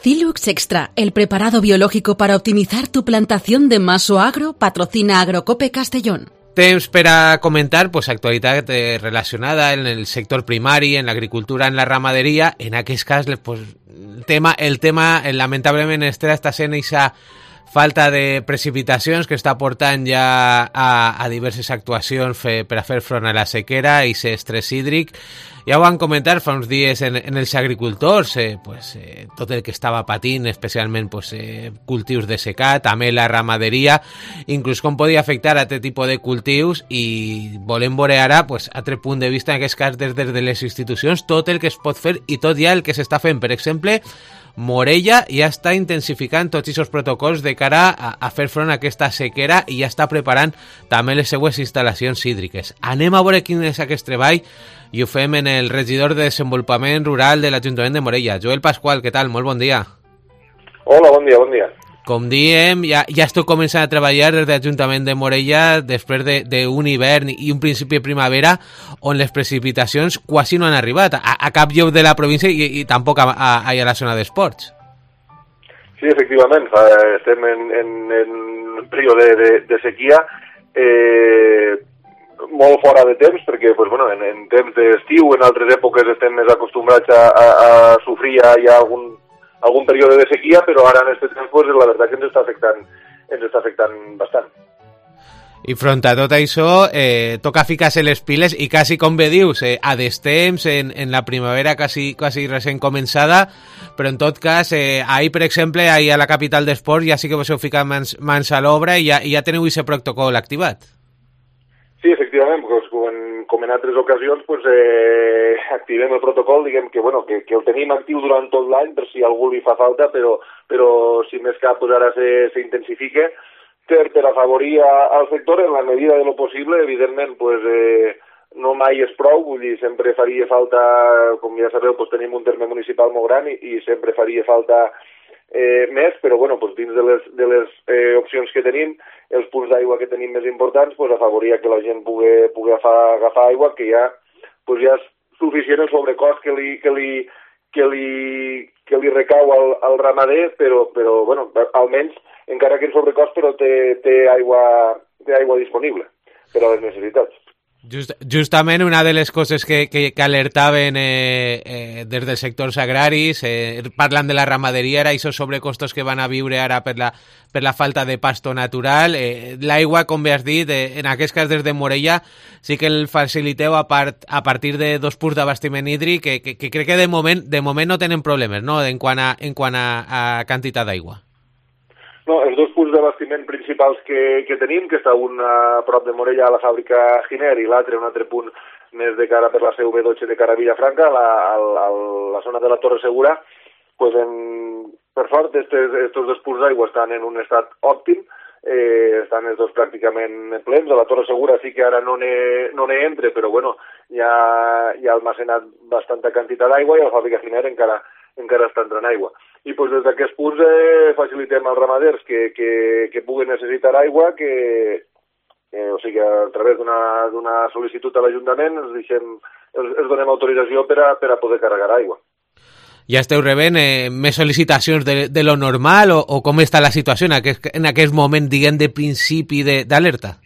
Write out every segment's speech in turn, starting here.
Cilux Extra, el preparado biológico para optimizar tu plantación de maso agro, patrocina Agrocope Castellón. Temps per a comentar actualitat relacionada en el sector primari, en l'agricultura, en la ramaderia. En aquest cas, el tema lamentablement està sent aquesta falta de precipitacions que està portant ja a diverses actuacions per a fer front a la sequera i aquest estrès hídric. Ja ho van comentar fa uns dies en els agricultors, tot el que estava patint, especialment cultius de secà, també la ramaderia, inclús com podia afectar a aquest tipus de cultius, i volem veure ara, altre punt de vista, en aquest cas des de les institucions, tot el que es pot fer i tot ja el que s'està fent. Per exemple, Morella ja està intensificant tots aquests protocols de cara a fer front a aquesta sequera i ja està preparant també les seues instal·lacions hídriques. Anem a veure quin és aquest treball i ho fem en el regidor de Desenvolupament Rural de l'Ajuntament de Morella. Joel Pasqual, què tal? Molt bon dia. Hola, bon dia, bon dia. Com diem, ja esteu començant a treballar des de l'Ajuntament de Morella després d'un hivern i un principi de primavera on les precipitacions quasi no han arribat a cap lloc de la província i tampoc a la zona d'esports. Sí, efectivament, estem en període de sequia, molt fora de temps, perquè en temps d'estiu, en altres èpoques estem més acostumbrats a sofrir ja algun període de sequia, però ara en aquest temps la veritat que ens està afectant bastant. I front a tot això, toca ficar-se les piles i quasi, com bé dius, a destemps, en la primavera quasi recent començada, però en tot cas, ahir, per exemple, ahir a la capital d'esports ja sí que vos heu ficat mans a l'obra i ja teniu aquest protocol activat. Sí, efectivament, com en altres ocasions, activem el protocol, diguem que el tenim actiu durant tot l'any per si algú li fa falta, però si més cap ara s'intensifica per afavorir al sector en la medida de lo possible. Evidentment, no mai és prou, vull dir, sempre faria falta, com ja sabeu, tenim un terme municipal molt gran i sempre faria falta més, però dins de les opcions que tenim, els punts d'aigua que tenim més importants, afavorir que la gent pugui agafar aigua, que ja és suficient el sobrecost que li recau al ramader, però almenys, encara que en sobrecost, però té aigua disponible per a les necessitats. Justament una de les coses que alertaven des dels sectors agraris, parlant de la ramaderia, era aquests sobrecostos que van a viure ara per la falta de pasto natural. L'aigua, com bé has dit, en aquest cas des de Morella, sí que el faciliteu a partir de 2 punts d'abastiment hídric, que crec que de moment no tenen problemes, no?, en quant a quantitat d'aigua. No, els 2 punts d'abastiment principals que tenim, que està un a prop de Morella a la fàbrica Giner i l'altre, un altre punt més de cara per la CV12 de cara a Vilafranca, a la zona de la Torre Segura, per sort, aquests 2 punts d'aigua estan en un estat òptim, estan els dos pràcticament plens. A la Torre Segura sí que ara no n'hi entra, però ja ha almacenat bastanta quantitat d'aigua i a la fàbrica Giner encara està entrant aigua. I des d'aquests punts facilitem als ramaders que puguen necessitar aigua, o sigui, a través d'una sol·licitud a l'Ajuntament els donem autorització per a poder carregar aigua. Ja esteu rebent més sol·licitacions de lo normal o com està la situació en aquest moment, diguem, de principi d'alerta?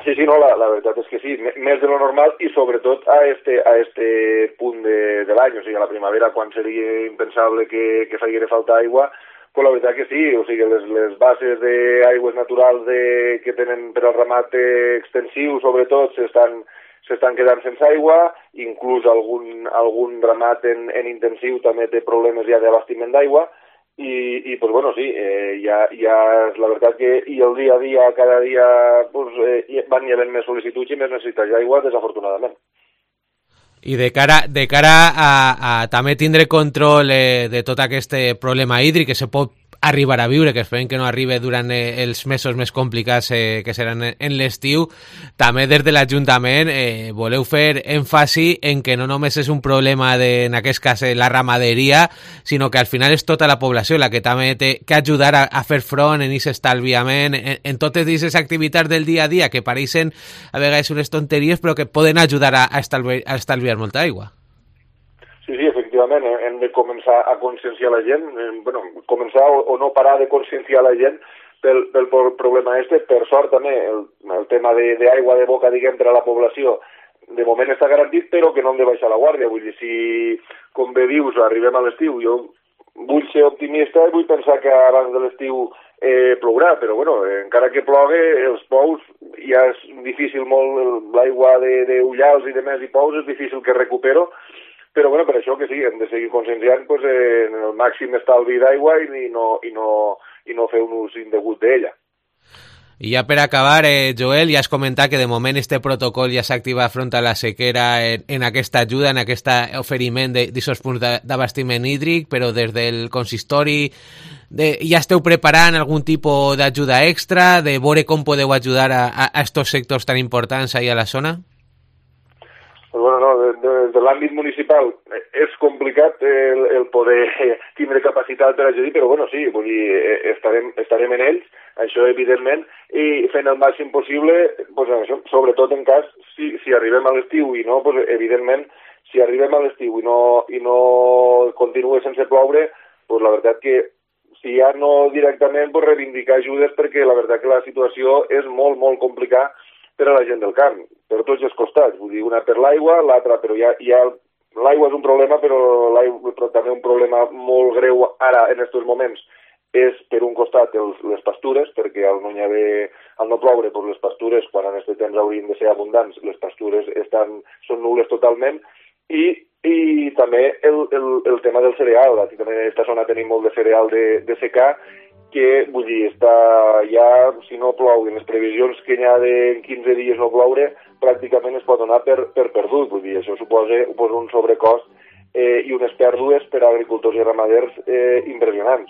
Sí, no, la veritat és que sí, més de lo normal i sobretot a este punt de l'any, o sigui, a la primavera, quan seria impensable que faria falta aigua, la veritat que sí, o sigui, les bases d'aigües naturals que tenen per al ramat extensiu, sobretot, s'estan quedant sense aigua, inclús algun ramat en intensiu també té problemes ja d'abastiment d'aigua, i sí, ja és la veritat que i el dia a dia, cada dia van hi havent més sol·licituds i més necessitats d'aigua, desafortunadament. I de cara a també tindre control de tot aquest problema hídric que se pot arribar a viure, que esperem que no arribi durant els mesos més complicats que seran en l'estiu, també des de l'Ajuntament voleu fer èmfasi en que no només és un problema en aquest cas la ramaderia, sinó que al final és tota la població la que també té que ajudar a fer front en aquest estalviament, en totes aquestes activitats del dia a dia que pareixen a vegades unes tonteries però que poden ajudar a estalviar molta aigua. Sí, efectivament. efectivament hem de començar a conscienciar la gent, començar o no parar de conscienciar la gent pel problema este. Per sort també el tema d'aigua de boca, diguem, per a la població de moment està garantit, però que no hem de baixar la guàrdia. Vull dir, si, com bé dius, arribem a l'estiu, jo vull ser optimista i vull pensar que abans de l'estiu plourà, però encara que plogui, els pous ja és difícil molt, l'aigua d'ullals i de més i pous és difícil que recupero, però per això que sí, hem de seguir conscienciant en el màxim estalvi d'aigua i no fer un ús indegut d'ella. I ja per acabar, Joel, ja has comentat que de moment este protocol ja s'activa front a la sequera en aquesta ajuda, en aquest oferiment d'aquests punts d'abastiment hídric, però des del consistori ja esteu preparant algun tipus d'ajuda extra, de veure com podeu ajudar a estos sectors tan importants ahí a la zona? Des de l'àmbit municipal és complicat el poder tindre capacitat per ajudar, però sí, vull dir, estarem en ells, això evidentment, i fent el màxim possible, això, sobretot en cas, si arribem a l'estiu i no, evidentment, si arribem a l'estiu i no continua sense ploure, la veritat que si ja no directament reivindicar ajudes, perquè la veritat que la situació és molt, molt complicada per a la gent del camp, per tots els costats, vull dir, una per l'aigua, l'altra, però ja l'aigua és un problema, però també un problema molt greu ara, en aquests moments, és per un costat les pastures, perquè al no ploure, les pastures, quan en aquest temps haurien de ser abundants, les pastures són nul·les totalment, i també el tema del cereal. Aquí també en aquesta zona tenim molt de cereal de secà, que, vull dir, ja, si no plou, en les previsions que hi ha de 15 dies no ploure, pràcticament es pot donar per perdut. Vull dir, això suposa un sobrecost i unes pèrdues per a agricultors i ramaders impressionants.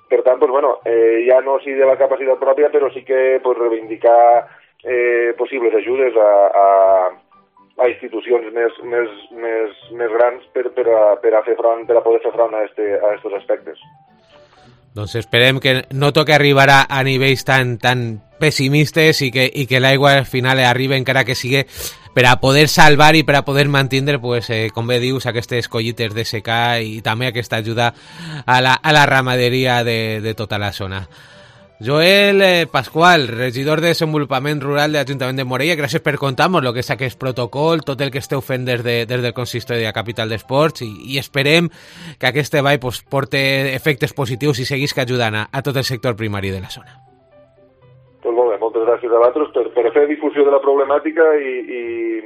Per tant, ja no sí de la capacitat pròpia, però sí que reivindicar possibles ajudes a institucions més grans per a poder fer front a aquests aspectes. Doncs esperem que no toqui arribar a nivells tan pessimistes i que l'aigua al final arribi, encara que sigui per a poder salvar i per a poder mantenir, com bé dius, aquestes collites de secà i també aquesta ajuda a la ramaderia de tota la zona. Joel Pascual, regidor de Desenvolupament Rural de l'Ajuntament de Morella, gràcies per contar-nos el que és aquest protocol, tot el que esteu fent des del consistori de la capital d'esports i esperem que aquest treball porti efectes positius i seguisca ajudant a tot el sector primari de la zona. Doncs molt bé, moltes gràcies a vosaltres per fer difusió de la problemàtica i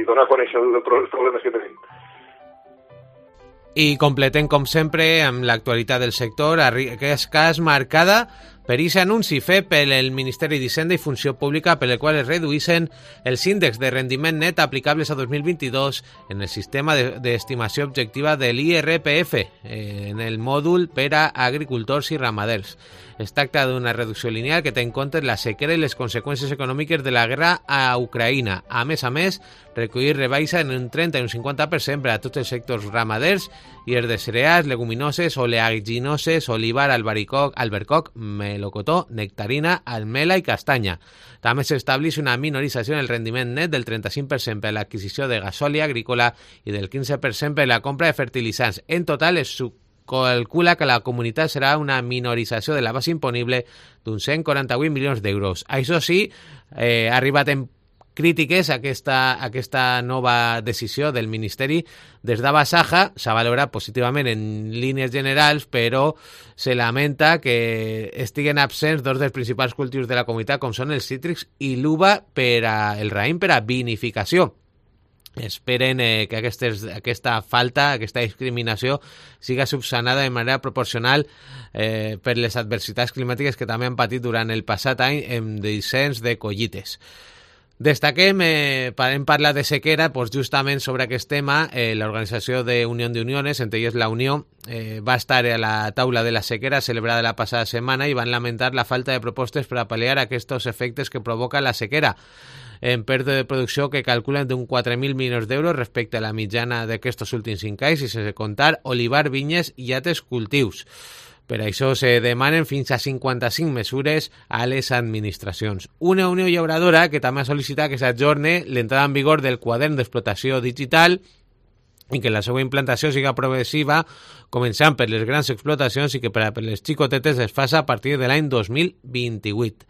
donar a conèixer els problemes que tenim. I completem, com sempre, amb l'actualitat del sector, que és cas marcada per aquest anunci fet pel Ministeri d'Hisenda i Funció Pública, per el qual es reduïssin els índexs de rendiment net aplicables a 2022 en el sistema d'estimació objectiva de l'IRPF, en el mòdul per a agricultors i ramaders. Es tracta d'una reducció lineal que té en compte la sequera i les conseqüències econòmiques de la guerra a Ucraïna. A més, recollir rebaixa en un 30 i un 50% per a tots els sectors ramaders i els de cereals, leguminoses, oleaginoses, olivar, albercoc, melocotó, nectarina, almela i castanya. També s'estableix una minorització en el rendiment net del 35% per a l'adquisició de gasòlia agrícola i del 15% per a la compra de fertilitzants. En total, es calcula que la comunitat serà una minorització de la base imponible d'uns 148 milions d'euros. Això sí, ha arribat en crítiques a aquesta nova decisió del Ministeri. Des d'Abasaja s'ha valorat positivament en línies generals, però se lamenta que estiguen absents dos dels principals cultius de la comunitat, com són els cítrics i l'uva el raïm per a vinificació. Esperen que aquesta falta, aquesta discriminació siga subsanada de manera proporcional per les adversitats climàtiques que també han patit durant el passat any en descens de collites. Destaquem, hem parlat de sequera, justament sobre aquest tema, l'Organització d'Unió d'Uniones, entre elles la Unió, va estar a la taula de la sequera celebrada la passada setmana i van lamentar la falta de propostes per a pal·liar aquests efectes que provoca la sequera, en pèrdua de producció que calculen d'un 4.000 milions d'euros respecte a la mitjana d'aquests últims 5 anys i sense comptar olivar, vinyes i altres cultius. Per això se demanen fins a 55 mesures a les administracions. Una Unió Llauradora que també ha sol·licitat que s'ajorni l'entrada en vigor del quadern d'explotació digital i que la seva implantació siga progressiva, començant per les grans explotacions i que per a les xicotetes es faci a partir de l'any 2028.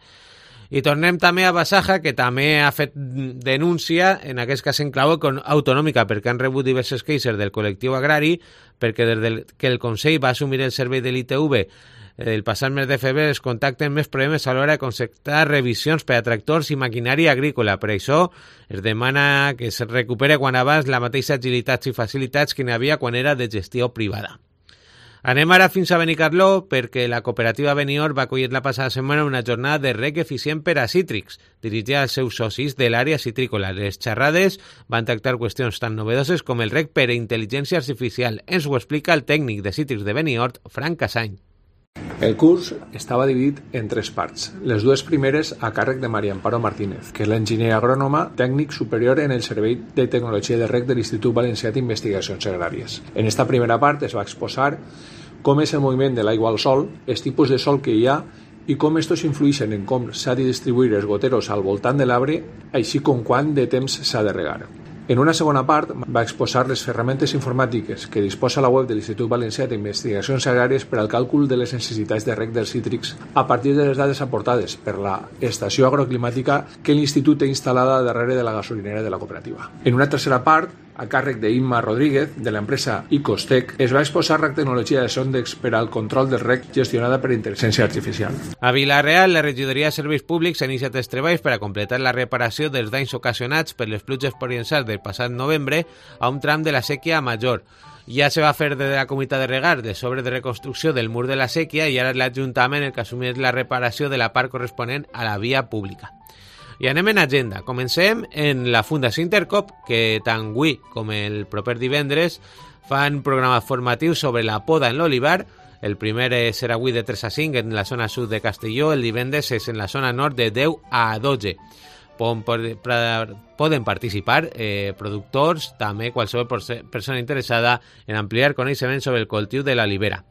I tornem també a Basaja, que també ha fet denúncia, en aquest cas en clau autonòmica, perquè han rebut diverses queixes del col·lectiu agrari, perquè des que el Consell va assumir el servei de l'ITV el passat mes de febrer es contacten més problemes a l'hora de concertar revisions per a tractors i maquinària agrícola. Per això es demana que es recupere quan abans la mateixa agilitat i facilitats que n'hi havia quan era de gestió privada. Anem ara fins a Benicarló perquè la cooperativa Benior va acollir la passada setmana una jornada de reg eficient per a cítrics, dirigida als seus socis de l'àrea citrícola. Les xerrades van tractar qüestions tan novedoses com el reg per a intel·ligència artificial. Ens ho explica el tècnic de cítrics de Benior, Frank Casany. El curs estava dividit en 3 parts. Les 2 primeres a càrrec de Maria Amparo Martínez, que és l'enginyer agrònoma tècnic superior en el Servei de Tecnologia de Reg de l'Institut Valencià d'Investigacions Agràries. En esta primera part es va exposar com és el moviment de l'aigua al sol, els tipus de sol que hi ha i com estos influeixen en com s'ha de distribuir els goteros al voltant de l'arbre, així com quant de temps s'ha de regar. En una segona part va exposar les ferramentes informàtiques que disposa la web de l'Institut Valencià d'Investigacions Agràries per al càlcul de les necessitats de reg dels cítrics a partir de les dades aportades per la estació agroclimàtica que l'Institut té instal·lada darrere de la gasolinera de la cooperativa. En una tercera part, a càrrec d'Imma Rodríguez, de l'empresa Icostec, es va exposar la tecnologia de sondes per al control del reg gestionada per intel·ligència artificial. A Vila-real, la regidoria de Serveis Públics ha iniciat els treballs per a completar la reparació dels danys ocasionats per les pluges torrencials del passat novembre a un tram de la sèquia major. Ja se va fer de la comunitat de regar les obres de reconstrucció del mur de la sèquia i ara és l'Ajuntament el que assumeix la reparació de la part corresponent a la via pública. I anem en agenda. Comencem en la Fundació Intercop, que tant avui com el proper divendres fan programes formatius sobre la poda en l'olivar. El primer serà avui de 3 a 5 en la zona sud de Castelló, el divendres és en la zona nord de 10 a 12. Poden participar productors, també qualsevol persona interessada en ampliar coneixements sobre el cultiu de l'olivera.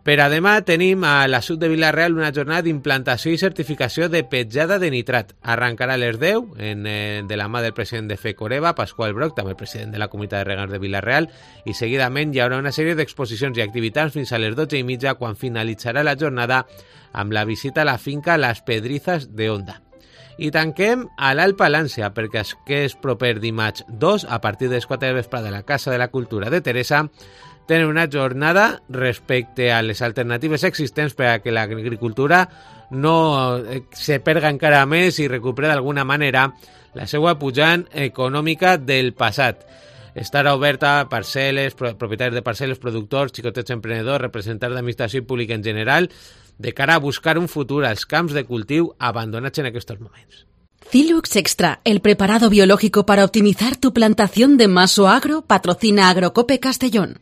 Per a demà tenim a la sud de Vila-real una jornada d'implantació i certificació de petjada de nitrat. Arrencarà a les 10 de la mà del president de FECOREVA, Pasqual Broc, també president de la comunitat de regants de Vila-real, i seguidament hi haurà una sèrie d'exposicions i activitats fins a les 12:30 quan finalitzarà la jornada amb la visita a la finca Las Pedrizas de Onda. I tanquem a l'Alt Palància perquè aquest proper dimarts 2, a partir de les 4 de vesprada de la Casa de la Cultura de Teresa, tenen una jornada respecte a les alternatives existents per a que l'agricultura no se perga encara més i recuperi d'alguna manera la seva pujant econòmica del passat. Estarà oberta a parcel·les, propietaris de parcel·les, productors, xicotets emprenedors, representants d'administració pública en general, de cara a buscar un futur als camps de cultiu abandonats en aquests moments. Cilux Extra, el preparado biológico para optimizar tu plantación de maso agro, patrocina Agrocope Castellón.